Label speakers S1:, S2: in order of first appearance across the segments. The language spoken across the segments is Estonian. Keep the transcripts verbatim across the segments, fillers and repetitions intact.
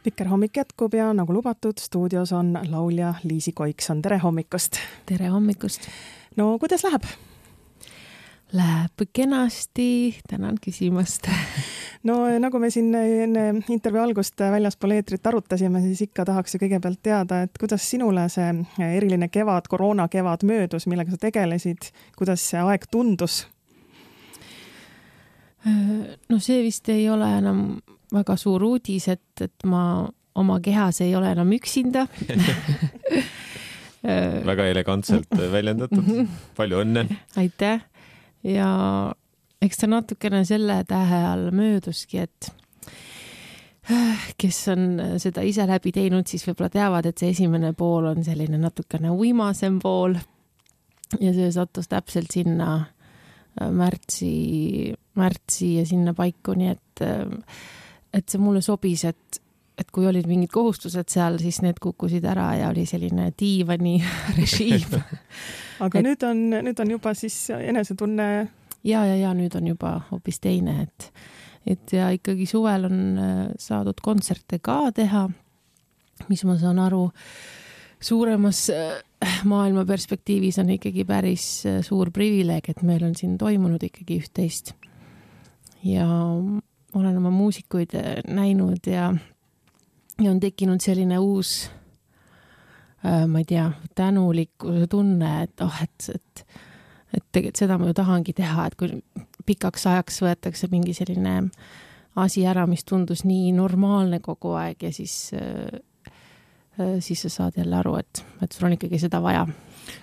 S1: Viker hommik jätkub ja nagu lubatud, stuudios on laulja Liisi Koikson. Tere hommikust!
S2: Tere hommikust!
S1: No kuidas läheb?
S2: Läheb kenasti, tänan küsimast.
S1: No nagu me siin enne intervjuu algust väljaspool eetrit arutasime, siis ikka tahaks ju kõigepealt teada, et kuidas sinule see eriline kevad, koroona kevad möödus, millega sa tegelesid, kuidas see aeg tundus?
S2: No see vist ei ole enam väga suur uudis, et, et ma oma kehas ei ole enam üksinda.
S3: Väga elegantselt väljendatud. Palju õnne.
S2: Aitäh. Ja eks ta natukene selle tähe all mööduski, et kes on seda ise läbi teinud, siis võib-olla teavad, et see esimene pool on selline natukene uimasem pool ja see sattus täpselt sinna märtsi, märtsi ja sinna paiku, nii et, et see mulle sobis, et, et kui olid mingid kohustused seal, siis need kukkusid ära ja oli selline diivani režiim.
S1: Aga et, nüüd, on, nüüd on juba siis enesetunne...
S2: Ja, ja, ja nüüd on juba hoopis teine, et, et ja ikkagi suvel on saadud kontserte ka teha, mis ma saan aru, suuremas maailma perspektiivis on ikkagi päris suur privileeg, et meil on siin toimunud ikkagi üht-teist. Ja olen oma muusikuid näinud ja, ja on tekkinud selline uus, ma ei tea, tänulikkuse tunne, et oh, et, et, et tegelikult seda ma ju tahangi teha, et kui pikaks ajaks võetakse mingi selline asi ära, mis tundus nii normaalne kogu aeg ja siis, siis sa saad jälle aru, et, et sul on ikkagi seda vaja.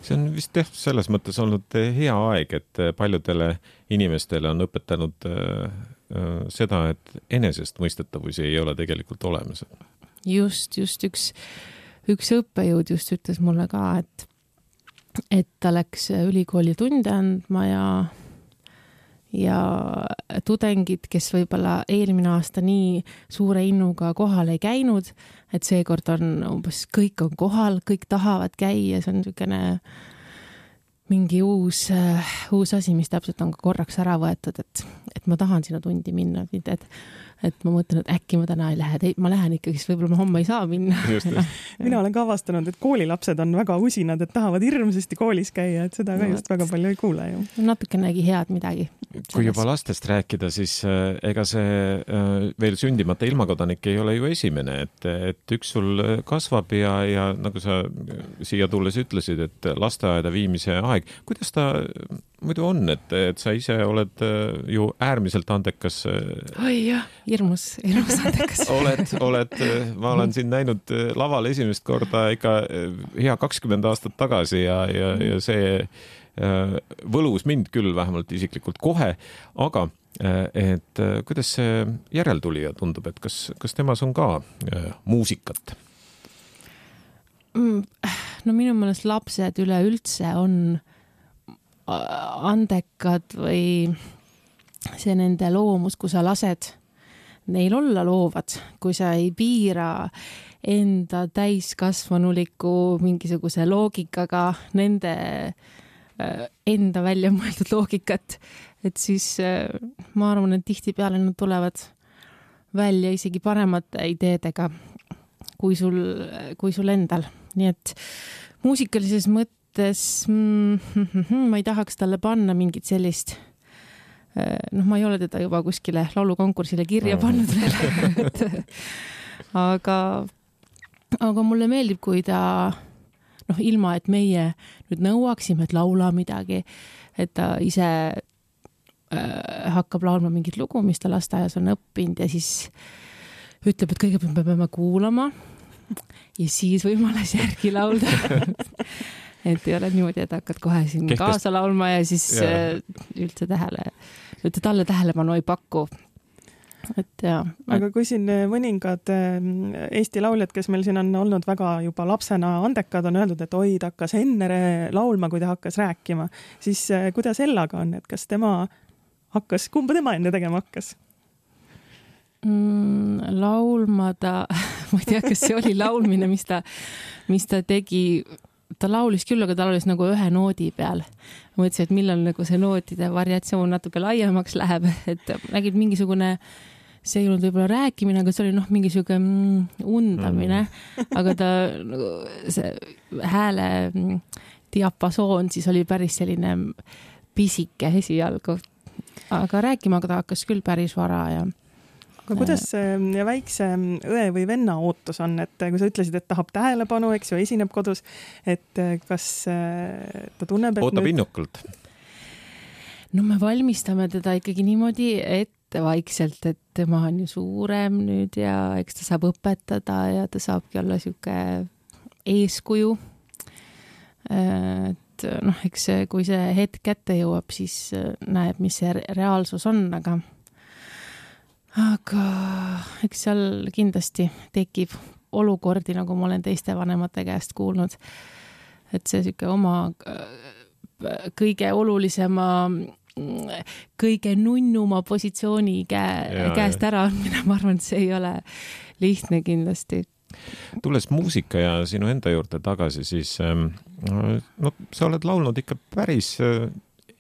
S3: See on vist jah, selles mõttes olnud hea aeg, et paljudele inimestele on õpetanud seda, et enesest mõistetavusi ei ole tegelikult olemas.
S2: Just, just üks Üks õppejõud just ütles mulle ka, et, et ta läks ülikooli tunde andma ja, ja tudengid, kes võib-olla eelmine aasta nii suure innuga kohal ei käinud, et seekord on umbes kõik on kohal, kõik tahavad käia, see on niisugune mingi uus, uus asi, mis täpselt on ka korraks ära võetud, et, et ma tahan sinna tundi minna, et, et et ma mõtlen, et äkki ma täna ei lähe, ma lähen ikkagi, siis võib-olla ma homme ei saa minna. Just, just.
S1: Mina olen ka avastanud, et koolilapsed on väga usinad, et tahavad hirmsasti koolis käia, et seda ka no, just väga palju ei kuule ju.
S2: Natukenegi head midagi.
S3: Kui juba lastest rääkida, siis ega see veel sündimata ilmakodanik ei ole ju esimene, et, et üks sul kasvab ja, ja nagu sa siia tulles ütlesid, et lasteaeda viimise aeg, kuidas ta muidu on, et, et sa ise oled ju äärmiselt andekas.
S2: Oi jah, hirmus, hirmus andekas.
S3: oled, oled, ma olen siin näinud laval esimest korda ikka hea kakskümmend aastat tagasi ja, ja, ja see võlus mind küll vähemalt isiklikult kohe, aga et kuidas see järeltulija tundub, et kas, kas temas on ka muusikat?
S2: No minu meelest lapsed üleüldse on andekad või see nende loomus, kui sa lased neil olla loovad, kui sa ei piira enda täiskasvanuliku mingisuguse loogikaga nende enda välja mõeldud loogikat, et siis ma arvan, et tihti peale nad tulevad välja isegi paremate ideedega kui sul, kui sul endal. Nii et muusikalises mõttes ma ei tahaks talle panna mingit sellist, noh, ma ei ole teda juba kuskile laulukonkursile kirja pannud veel, aga, aga mulle meeldib, kui ta, noh, ilma, et meie nüüd nõuaksime, et laula midagi, et ta ise äh, hakkab laulma mingit lugu, mis ta lasteaias on õppinud ja siis ütleb, et kõigepealt me peame kuulama ja siis võimales järgi laulda. Et ei ole niimoodi, et hakkad kohe siin Kehtest... kaasa laulma ja siis ja. üldse tähele, üldse talle tähelepanu ei paku. Et ja,
S1: aga kui siin mõningad Eesti lauljad, kes meil siin on olnud väga juba lapsena andekad, on öeldud, et oi, ta hakkas enne laulma, kui ta hakkas rääkima, siis kuidas Ellaga on, et kas tema hakkas, kumba tema enne tegema hakkas?
S2: Mm, laulma ta, ma ei tea, kas see oli laulmine, mis ta, mis ta tegi, ta laulis küll, aga ta laulis nagu ühe noodi peal. Mõtlesin, et millal nagu see nootide variatsioon natuke laiemaks läheb, et nägid mingisugune see ei olnud võib-olla rääkimine, aga see oli noh, mingi siuke mm, undamine, aga ta nagu see hääle diapasoon siis oli päris selline pisike esialgu, aga rääkima ta hakkas küll päris vara ja
S1: aga kuidas ja väikse õe või venna ootus on, et kui sa ütlesid, et tahab tähelepanu, eks ju, esineb kodus, et kas ta tunneb, et
S3: ootab
S1: nüüd...
S3: innukalt?
S2: No me valmistame teda ikkagi niimoodi ette vaikselt, et tema on ju suurem nüüd ja eks ta saab õpetada ja ta saabki olla siuke eeskuju. Et noh, eks kui see hetk kätte jõuab, siis näeb, mis see reaalsus on, aga aga eks seal kindlasti tekib olukordi, nagu ma olen teiste vanemate käest kuulnud, et see siuke oma kõige olulisema, kõige nunnuma positsiooni käe, ja, käest ära andmine, ma arvan, et see ei ole lihtne kindlasti.
S3: Tulles muusika ja sinu enda juurde tagasi, siis no, sa oled laulnud ikka päris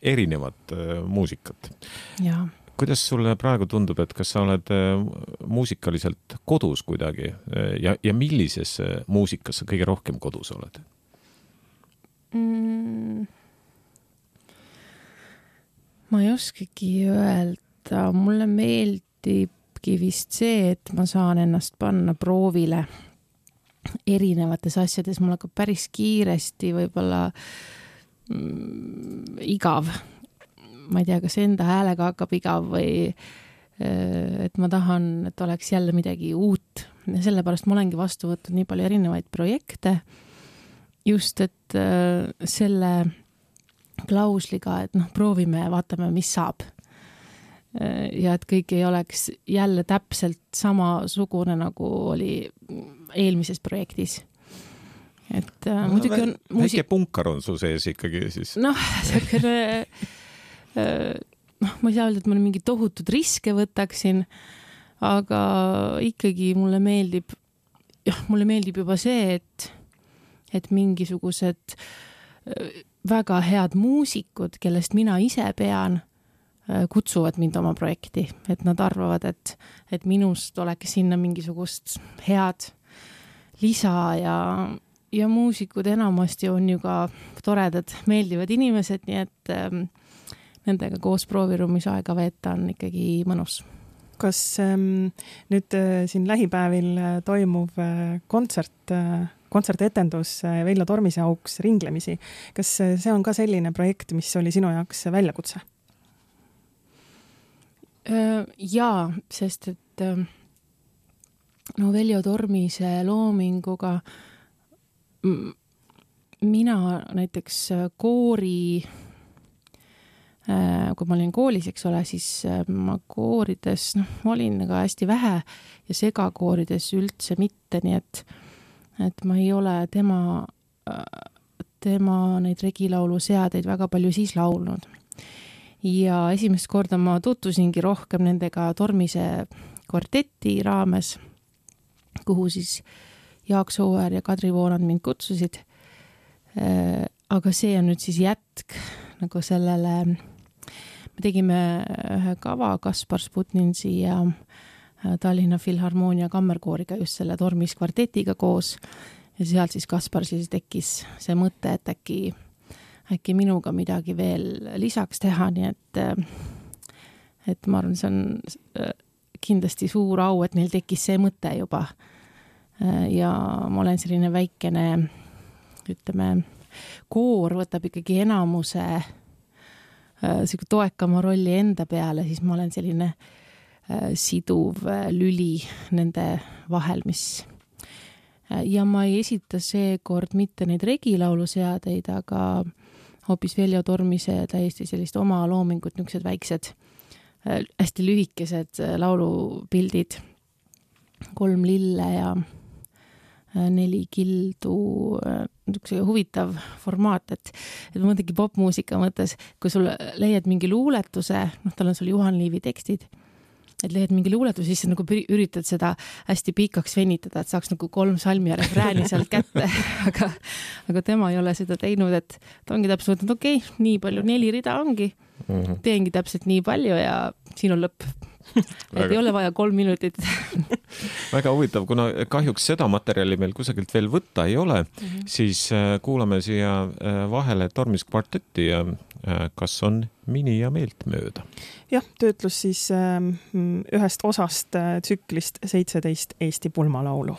S3: erinevat muusikat.
S2: Jaa.
S3: Kuidas sulle praegu tundub, et kas sa oled muusikaliselt kodus kuidagi ja, ja millises muusikas sa kõige rohkem kodus oled?
S2: Mm, ma ei oskagi öelda. Mulle meeldibki vist see, et ma saan ennast panna proovile erinevates asjades. Mul hakkab päris kiiresti võib-olla mm, igav. Ma ei tea, kas enda häälega hakkab igav või et ma tahan, et oleks jälle midagi uut. Ja sellepärast ma olengi vastu võtnud nii palju erinevaid projekte. Just, et selle klausliga, et noh, proovime ja vaatame, mis saab. Ja et kõik ei oleks jälle täpselt samasugune, nagu oli eelmises projektis. Et no, muidugi on...
S3: Väike muusik... punkar on su sees ikkagi siis.
S2: Noh, see noh, ma ei saa öelda, et ma mingi tohutud riske võtaksin, aga ikkagi mulle meeldib, jah, mulle meeldib juba see, et, et mingisugused väga head muusikud, kellest mina ise pean, kutsuvad mind oma projekti, et nad arvavad, et, et minust oleks sinna mingisugust head lisa ja, ja muusikud enamasti on ju ka toredad, meeldivad inimesed, nii et nendega koos prooviruumis aega veeta on ikkagi mõnus.
S1: Kas ähm, nüüd äh, siin lähipäevil äh, toimuv äh, kontsert, äh, kontsertetendus äh, Veljo Tormise auks ringlemisi, kas äh, see on ka selline projekt, mis oli sinu jaoks väljakutse?
S2: Äh, jaa, sest et äh, no Veljo Tormise loominguga m- mina näiteks koori kui ma olin koolis, eks ole, siis ma koorides noh, olin aga hästi vähe ja segakoorides üldse mitte, nii et, et ma ei ole tema, tema neid regilaulu seadeid väga palju siis laulnud. Ja esimest korda ma tutvusingi rohkem nendega Tormise kvarteti raames, kuhu siis Jaak Sooäär ja Kadri Voonand mind kutsusid. Aga see on nüüd siis jätk nagu sellele... Me tegime ühe kava Kaspar Sputninsi ja Tallinna Filharmoonia kammerkooriga just selle Tormis kvartetiga koos ja sealt siis Kaspar siis tekkis see mõte, et äkki, äkki minuga midagi veel lisaks teha, nii et, et ma arvan, see on kindlasti suur au, et neil tekkis see mõte juba ja ma olen selline väikene, ütleme, koor võtab ikkagi enamuse siuke toekama rolli enda peale, siis ma olen selline äh, siduv äh, lüli nende vahel, mis äh, ja ma ei esita seekord mitte neid regilauluseadeid, aga hoopis Veljo Tormise täiesti sellist oma loomingut, niisugused väiksed äh, hästi lühikesed äh, laulupildid, kolm lille ja neli kildu, niisugune huvitav formaat, et, et ma mõtlengi popmuusika mõttes, kui sul leiad mingi luuletuse, noh, tal on sul Juhan Liivi tekstid, et leiad mingi luuletuse, siis sa nagu üritad seda hästi pikaks venitada, et saaks nagu kolm salmi ja refrääni sealt kätte, aga, aga tema ei ole seda teinud, et ta ongi täpselt mõtlenud, okei, okay, nii palju, neli rida ongi, teengi täpselt nii palju ja siin on lõpp. et ei ole vaja kolm minutit.
S3: Väga huvitav, kuna kahjuks seda materjali meil kusagilt veel võtta ei ole, mm-hmm. siis kuulame siia vahele Tormis kvartetti ja kas on mini ja meeltmööda.
S1: Jah, töötlus siis ühest osast tsüklist seitseteist Eesti pulmalaulu.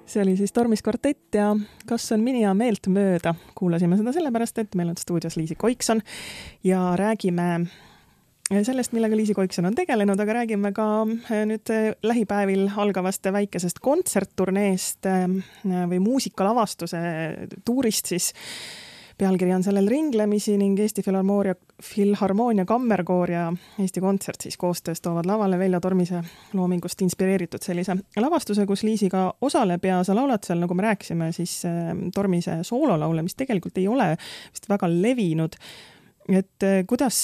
S1: See oli siis Tormis kvartett ja kas on mini ja meeltmööda. Kuulasime seda sellepärast, et meil on stuudios Liisi Koikson ja räägime sellest, millega Liisi Koikson on tegelenud, aga räägime ka nüüd lähipäevil algavast väikesest kontsertturneest või muusikalavastuse tuurist siis. Pealkiri on sellel ringlemisi ning Eesti Filharmoonia, Filharmoonia Kammerkoor ja Eesti Kontsert siis koostöös toovad lavale Veljo Tormise loomingust inspireeritud sellise lavastuse, kus Liisi ka osaleb ja sa laulad seal, nagu me rääkisime, siis Tormise soololaule, mis tegelikult ei ole vist väga levinud. Et kuidas,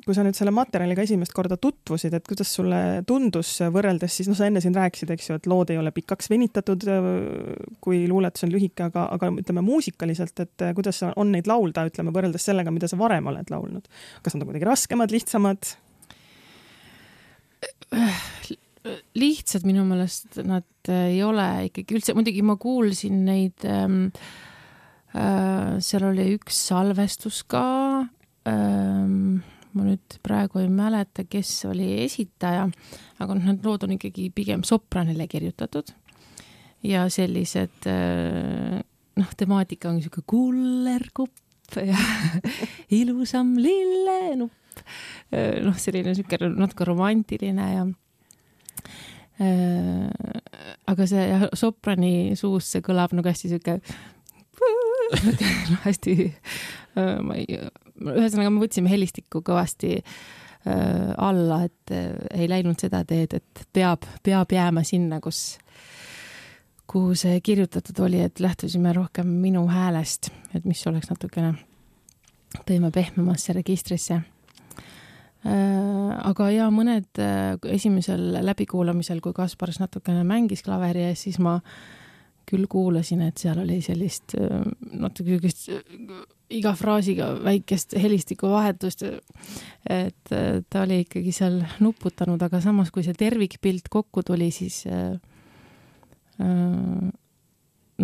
S1: kui sa nüüd selle materjaliga esimest korda tutvusid, et kuidas sulle tundus võrreldes, siis no sa enne siin rääkisid, eks ju, et lood ei ole pikaks venitatud, kui luuletus on lühike, aga, aga ütleme muusikaliselt, et kuidas on neid laulda, ütleme võrreldes sellega, mida sa varem oled laulnud. Kas nad on kuidagi raskemad, lihtsamad?
S2: Lihtsad minu meelest nad ei ole ikkagi üldse, muidugi ma kuulsin neid, ähm, äh, seal oli üks salvestus ka, ähm, ma nüüd praegu ei mäleta, kes oli esitaja, aga need lood on ikkagi pigem sopranile kirjutatud ja sellised, äh, noh, temaatika on niisugune kullerkupp ja ilusam lillenupp, äh, noh, selline niisugune natuke romantiline ja äh, aga see ja, soprani suus see kõlab nagu hästi niisugune no, hästi äh, ma ei, ühesõnaga me võtsime helistikku kõvasti äh, alla, et äh, ei läinud seda teed, et peab, peab jääma sinna, kus kuhu see kirjutatud oli, et lähtusime rohkem minu häälest, et mis oleks natukene tõime pehmemasse registrisse. Äh, aga ja mõned äh, esimesel läbikuulamisel, kui Kaspars natukene mängis klaveri ees, siis ma küll kuulasin, et seal oli sellist natuke iga fraasiga väikest helistiku vahetust, et ta oli ikkagi seal nuputanud, aga samas, kui see tervikpilt kokku tuli, siis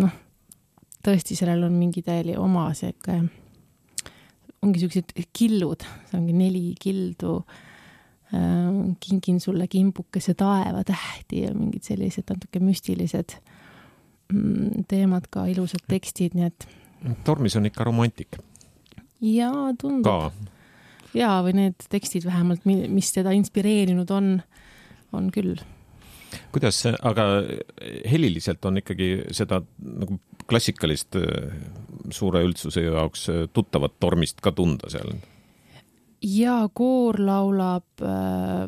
S2: noh, tõesti sellel on mingi täieli oma seega, ongi sellised killud, see ongi neli kildu, kingin sulle kimbukese taeva tähti ja mingid sellised natuke müstilised teemad ka, ilusad tekstid, nii et
S3: Tormis on ikka romantik.
S2: Jaa, tundub.
S3: Ka.
S2: Jaa, või need tekstid vähemalt, mis teda inspireerinud on, on küll.
S3: Kuidas see, aga heliliselt on ikkagi seda nagu klassikalist suure üldsuse jaoks tuttavat Tormist ka tunda seal?
S2: Jaa, koor laulab,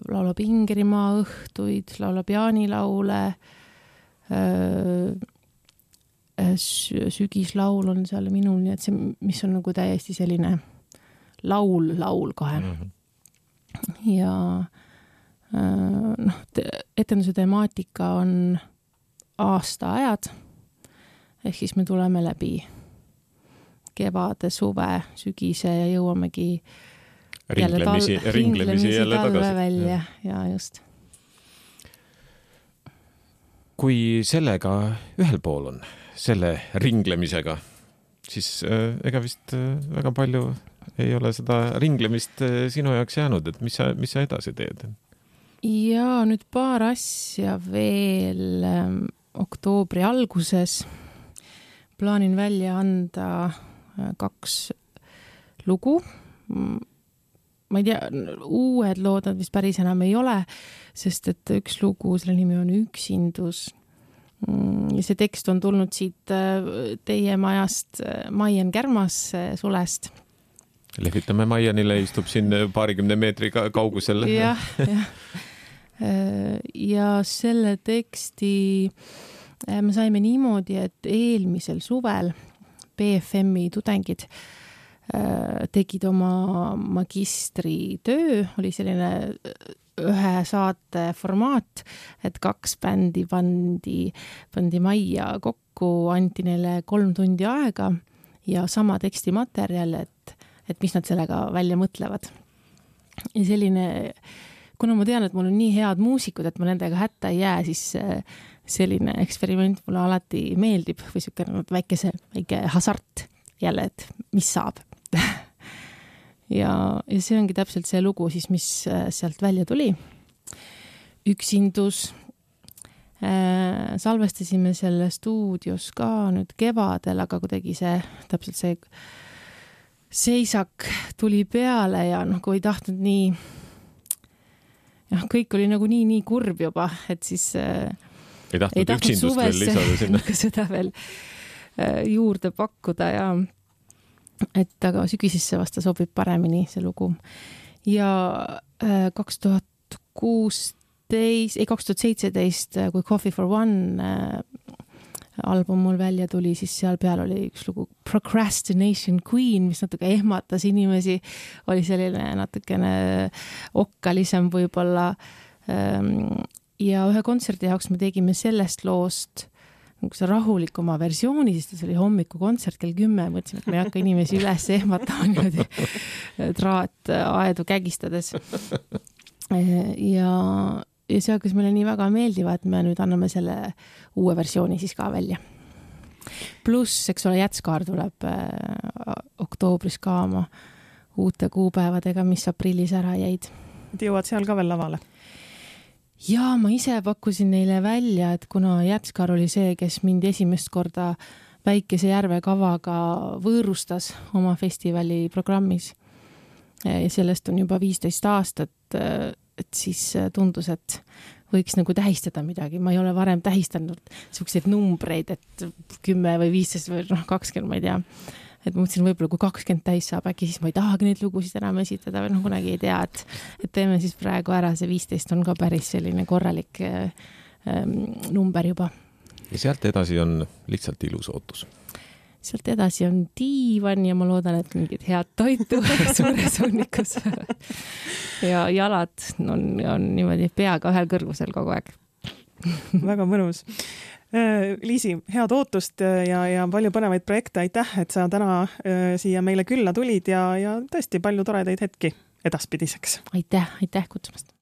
S2: laulab Ingerimaa õhtuid, laulab jaanilaule, sügislaul on seal minul, nii et see, mis on nagu täiesti selline laul, laul kohe. Mm-hmm. Ja noh, etenduse temaatika on aastaajad, ehk siis me tuleme läbi kevade, suve, sügise ja jõuamegi
S3: ringlemisi,
S2: jälle tal,
S3: ringlemisi jälle tagasi.
S2: Välja, ja just.
S3: Kui sellega ühel pool on, selle ringlemisega, siis äh, ega vist äh, väga palju ei ole seda ringlemist äh, sinu jaoks jäänud, et mis sa, mis sa edasi teed?
S2: Ja nüüd paar asja veel ähm, oktoobri alguses plaanin välja anda äh, kaks lugu. Ma ei tea, uued lood nad vist päris enam ei ole, sest et üks lugu, selle nimi on Üksindus. Ja see tekst on tulnud siit teie majast Maian Kärmas Sulest.
S3: Lehvitame Maianile, istub siin paarikümne meetri kaugusel.
S2: Jah, jah. Ja selle teksti me saime niimoodi, et eelmisel suvel B F M-i tudengid tegid oma magistritöö, oli selline ühe saate formaat, et kaks bändi pandi, pandi majja kokku, anti neile kolm tundi aega ja sama tekstimaterjal, et, et mis nad sellega välja mõtlevad. Ja selline, kuna ma tean, et mul on nii head muusikud, et ma nendega hätta ei jää, siis selline eksperiment mulle alati meeldib või selline väikese, väike hasart jälle, et mis saab. ja, ja see ongi täpselt see lugu siis, mis sealt välja tuli. Üksindus. Äh, salvestasime selle stuudios ka nüüd kevadel, aga kuidagi see, täpselt see seisak tuli peale ja noh, kui ei tahtnud nii, jah, kõik oli nagu nii, nii kurb juba, et siis äh,
S3: ei tahtnud, ei tahtnud üksindust veel lisada sinna.
S2: Seda veel äh, juurde pakkuda ja et aga sügisesse vasta sobib paremini see lugu. Ja kaks tuhat kuusteist, ei kaks tuhat seitseteist, kui Coffee for One album mul välja tuli, siis seal peal oli üks lugu Procrastination Queen, mis natuke ehmatas inimesi, oli selline natukene okkalisem võib-olla. Ja ühe kontserdi jaoks me tegime sellest loost see rahulikuma versiooni, sest see oli hommiku kontsert kell kümme, mõtlesime, et me ei hakka inimesi üles ehmatama niimoodi traat aedu kägistades. Ja, ja see hakkas meile nii väga meeldiva, et me nüüd anname selle uue versiooni siis ka välja. Pluss, eks ole, Jätskaar tuleb äh, oktoobris ka oma uute kuupäevadega, mis aprillis ära jäid.
S1: Et jõuad seal ka veel lavale?
S2: Ja ma ise pakkusin neile välja, et kuna Jätskar oli see, kes mind esimest korda Väikese järve kavaga võõrustas oma festivali programmis ja sellest on juba viisteist aastat, et siis tundus, et võiks nagu tähistada midagi. Ma ei ole varem tähistanud selliseid numbreid, et kümme või viisteist või noh, kakskümmend, ma ei tea. Et ma mõtlesin, võib-olla kui kakskümmend täis saab, äkki siis ma ei tahagi neid lugusid enam esitada või noh, kunagi ei tea, et, et teeme siis praegu ära, see viisteist on ka päris selline korralik ähm, number juba.
S3: Ja sealt edasi on lihtsalt ilus ootus.
S2: Sealt edasi on diivan ja ma loodan, et mingid head toitu suures hunnikus. ja jalad on, on niimoodi peaga ühel kõrgusel kogu aeg.
S1: Väga mõnus. Liisi, head ootust ja, ja palju põnevaid projekte, aitäh, et sa täna siia meile külla tulid ja, ja tõesti palju toredaid hetki edaspidiseks.
S2: Aitäh, aitäh kutsumast!